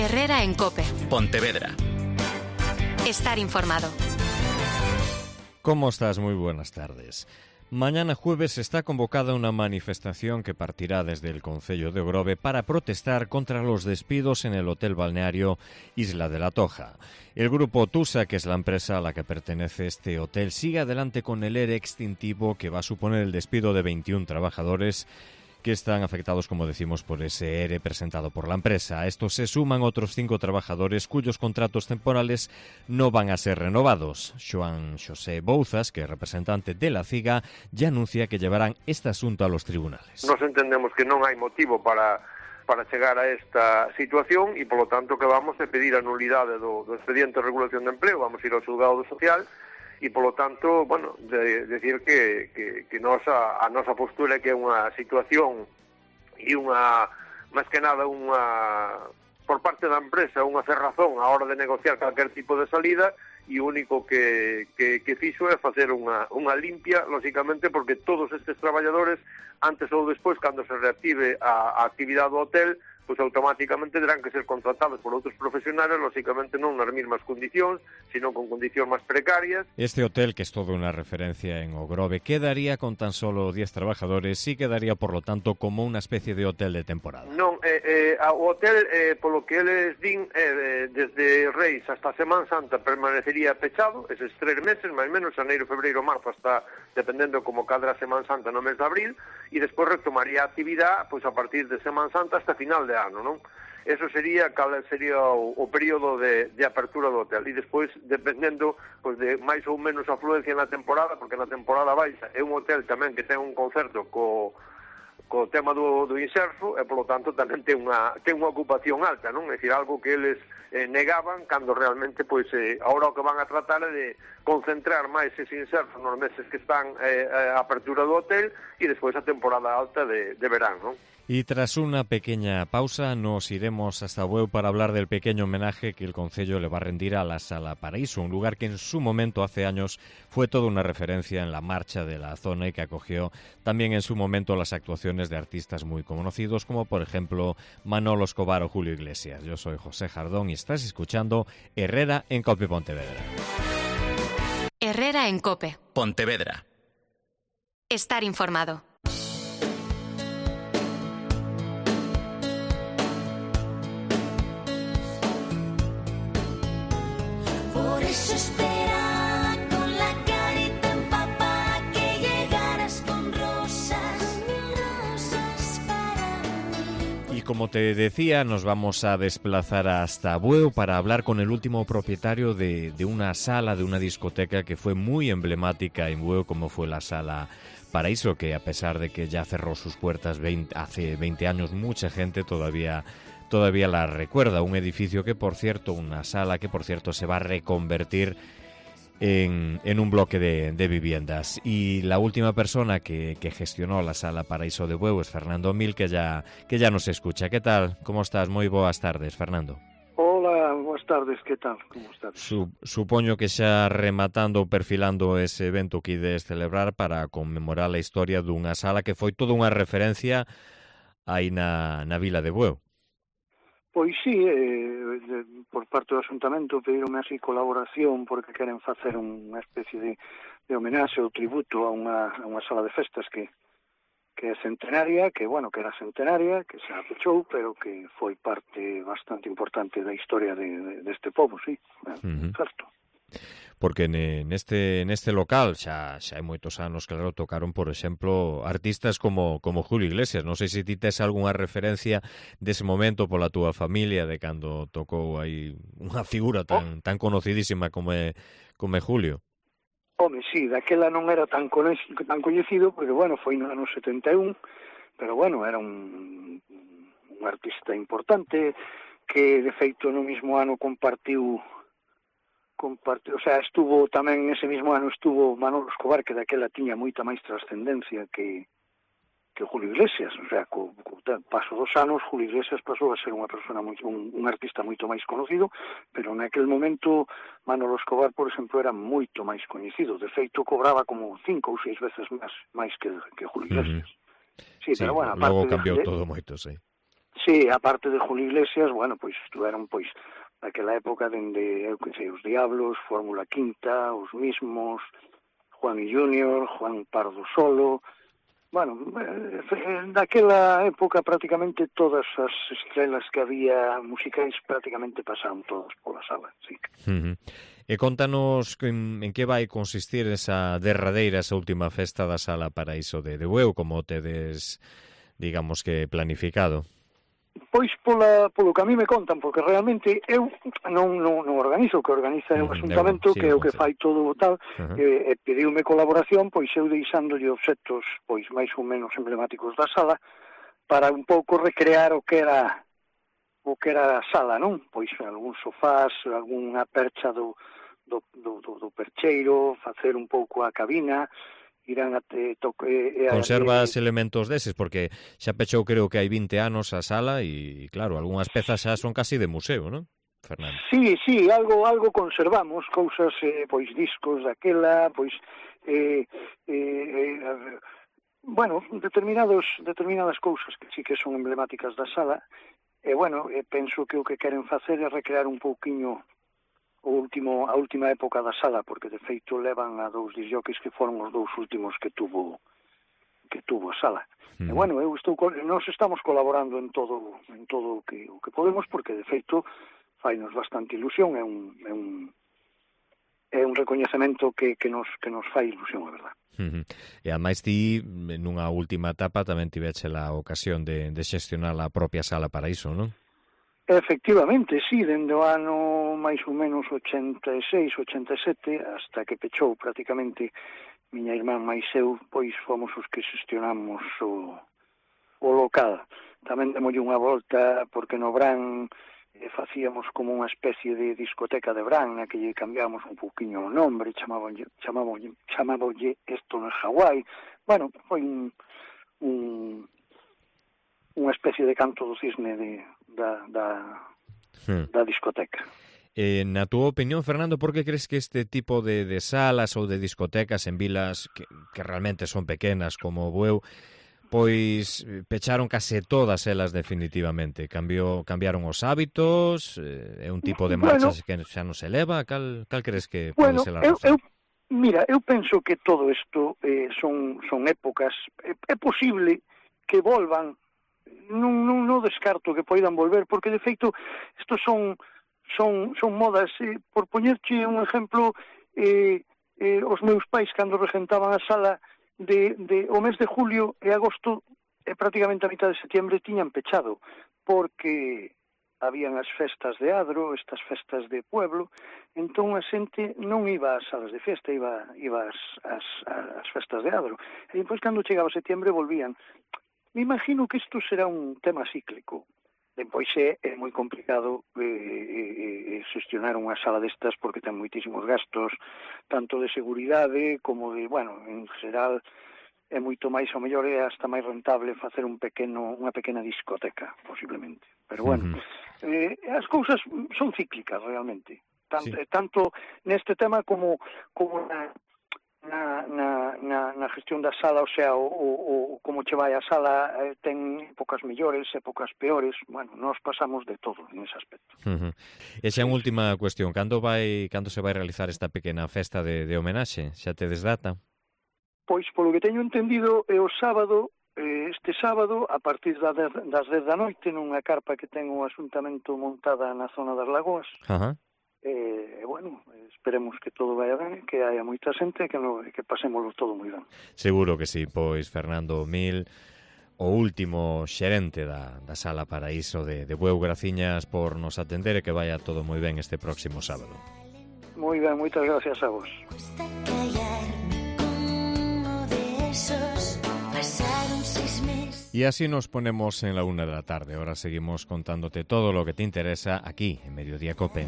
Herrera en COPE. Pontevedra. Estar informado. ¿Cómo estás? Muy buenas tardes. Mañana jueves está convocada una manifestación que partirá desde el concello de Ogrove para protestar contra los despidos en el hotel balneario Isla de la Toja. El grupo Tusa, que es la empresa a la que pertenece este hotel, sigue adelante con el ERE extintivo que va a suponer el despido de 21 trabajadores que están afectados, como decimos, por ese ERE presentado por la empresa. A esto se suman otros 5 trabajadores cuyos contratos temporales no van a ser renovados. Xoán Xosé Bouzas, que es representante de la CIGA, ya anuncia que llevarán este asunto a los tribunales. Nos entendemos que non hai motivo para chegar a esta situación e, polo tanto, que vamos a pedir a nulidade do expediente de regulación de empleo, vamos a ir ao xulgado social e, polo tanto, bueno, decir que a nosa postura é que é unha situación e unha, máis que nada, por parte da empresa, unha cerrazón á hora de negociar calquer tipo de salida, e o único que fixo é facer unha limpia, lógicamente, porque todos estes traballadores, antes ou despois, cando se reactive a actividade do hotel, pois automáticamente terán que ser contratados por outros profesionales, lógicamente non nas mesmas condicións, sino con condicións máis precarias. Este hotel, que es todo una referencia en Ogrove, quedaría con tan solo 10 trabajadores y quedaría, por lo tanto, como unha especie de hotel de temporada. Non, o hotel, polo que eles din, desde Reis hasta Semana Santa permanecería pechado, eses 3 meses, máis ou menos, xaneiro, febreiro, marzo, hasta, dependendo como cadra Semana Santa no mes de abril, e despois retomaría a actividade pois a partir de Semana Santa hasta final de ano, non? Eso sería cal sería o período de apertura do hotel, e despois, dependendo pois de máis ou menos afluencia na temporada, porque na temporada baixa é un hotel tamén que ten un concerto co tema do inserso, e polo tanto tamén ten unha ocupación alta, non? É dicir, algo que eles negaban cando realmente pois agora o que van a tratar é de concentrar máis ese inserso nos meses que están a apertura do hotel e despois a temporada alta de verán, non? Y tras una pequeña pausa nos iremos hasta Bueu para hablar del pequeño homenaje que el concello le va a rendir a la Sala Paraíso, un lugar que en su momento, hace años, fue toda una referencia en la marcha de la zona y que acogió también en su momento las actuaciones de artistas muy conocidos, como por ejemplo Manolo Escobar o Julio Iglesias. Yo soy José Jardón y estás escuchando Herrera en COPE Pontevedra. Herrera en COPE. Pontevedra. Estar informado. Eso esperaba con la carita empapada que llegaras con rosas para mí. Y como te decía, nos vamos a desplazar hasta Bueu para hablar con el último propietario de una sala, de una discoteca que fue muy emblemática en Bueu, como fue la Sala Paraíso, que a pesar de que ya cerró sus puertas hace 20 años, mucha gente todavía la recuerda. Un edificio que, por cierto, una sala que, por cierto, se va a reconvertir en un bloque de viviendas. Y la última persona que gestionó la Sala Paraíso de Bueu es Fernando Mil, que ya nos escucha. ¿Qué tal? ¿Cómo estás? Moi boas tardes, Fernando. Hola, boas tardes, que tal? Como estás? Supoño que xa rematando, perfilando ese evento que ides celebrar para conmemorar a historia dunha sala que foi toda unha referencia aí na vila de Bueu. Pois sí, por parte do Asuntamento pedironme así colaboración porque queren facer unha especie de homenaxe ou tributo a unha sala de festas que é centenaria, que era centenaria, que se apechou, pero que foi parte bastante importante da historia deste pobo, sí, certo. Porque neste local xa hai moitos anos, claro, tocaron, por exemplo, artistas como Julio Iglesias. Non sei se ti tes algunha referencia dese momento pola túa familia de cando tocou aí unha figura tan conocidísima como é Julio. Home, sí, daquela non era tan coñecido, pero foi no ano 71, pero era un artista importante que, de feito, no mismo ano compartiu, o sea, estuvo tamén ese mismo ano estuvo Manolo Escobar, que daquela tiña moita máis trascendencia que Julio Iglesias, o sea, co paso dos anos Julio Iglesias pasou a ser unha persona un artista moito máis conocido, pero naquel momento Manolo Escobar, por exemplo, era moito máis coñecido, de feito cobraba como 5 ou 6 veces máis que Julio Iglesias. Sí, pero logo cambiou todo moito, sí. Sí, a parte de Julio Iglesias, bueno, pois estuveron, pois, naquela época dende, eu que sei, os Diablos, Fórmula Quinta, os mismos, Juan y Junior, Juan Pardo Solo. Bueno, daquela época prácticamente todas as estrelas que había musicais prácticamente pasaron todas pola sala, sí. E contanos en que vai consistir esa derradeira, esa última festa da Sala Paraíso de Bueu, como tedes, digamos que, planificado? Pois polo que a mí me contan, porque realmente eu non organizo, o que organiza é o Asuntamento, que é o que fai todo o tal, e pediume colaboración, pois eu deixándolle obxectos pois máis ou menos emblemáticos da sala, para un pouco recrear o que era a sala, non? Pois algún sofás, algunha percha do percheiro, facer un pouco a cabina, irán a Conservas elementos deses, porque xa pechou creo que hai 20 anos a sala e claro, algunhas pezas xa son casi de museo, non, Fernando? Sí, algo conservamos, cousas, pois discos daquela, pois bueno, determinadas cousas que sí que son emblemáticas da sala, e bueno, penso que o que queren facer é recrear un pouquiño a última época da sala, porque de feito levan a 2 discjockeys que foron os 2 últimos que tuvo a sala. E bueno, nós estamos colaborando en todo o que podemos, porque de feito fainos bastante ilusión, é un recoñecemento que nos fai ilusión, a verdad. E ademais ti, nunha última etapa, tamén tiveche a ocasión de xestionar a propia Sala Paraíso, non? Efectivamente, sí, dende o ano máis ou menos 86, 87, hasta que pechou prácticamente miña irmán máis eu, pois fomos os que xestionamos o local. Tamén demolle unha volta, porque no Bran facíamos como unha especie de discoteca de Bran, na que lle cambiamos un pouquiño o nombre, chamábonlle Esto no es Hawái. Bueno, foi unha especie de canto do cisne da discoteca. Na túa opinión, Fernando, por que crees que este tipo de salas ou de discotecas en vilas que realmente son pequenas como Bueu, pois pecharon case todas elas definitivamente? Cambiaron os hábitos, é un tipo de marchas que xa non se leva, cal crees que pode ser a razón? Mira, eu penso que todo isto son épocas, é posible que volvan, non descarto que poidan volver, porque de feito estos son modas, por poñerche un exemplo, os meus pais cando regentaban a sala o mes de julio e agosto e prácticamente a mitad de setiembre tiñan pechado, porque habían as festas de adro, estas festas de pueblo, entón a xente non iba ás salas de festa, iba ás festas de adro, e depois cando chegaba setiembre volvían. Me imagino que isto será un tema cíclico. Depois é moi complicado xestionar unha sala destas porque ten moitísimos gastos, tanto de seguridade como de, bueno, en xeral é moito máis, ao mellor é hasta máis rentable facer unha pequena discoteca, posiblemente. Pero bueno, as cousas son cíclicas realmente, tanto neste tema como na gestión da sala, o sea, o como che vai a sala, ten épocas mellores, épocas peores, bueno, nós pasamos de todo en ese aspecto. E xa en última cuestión, cando se vai realizar esta pequena festa de homenaxe? Xa tedes data? Pois, polo que teño entendido, é o sábado, este sábado, a partir das 10 da noite, nunha carpa que ten o Asuntamento montada na zona das Lagoas. Bueno, esperemos que todo vaya ben, que haya moita xente e que pasémoslo todo moi ben. Seguro que sí, pois Fernando Mil, o último xerente da Sala Paraíso de Bueu, graciñas por nos atender e que vaya todo moi ben este próximo sábado. Moi ben, moitas gracias a vos. Y así nos ponemos en la 1 de la tarde. Ahora seguimos contándote todo lo que te interesa aquí en Mediodía COPE.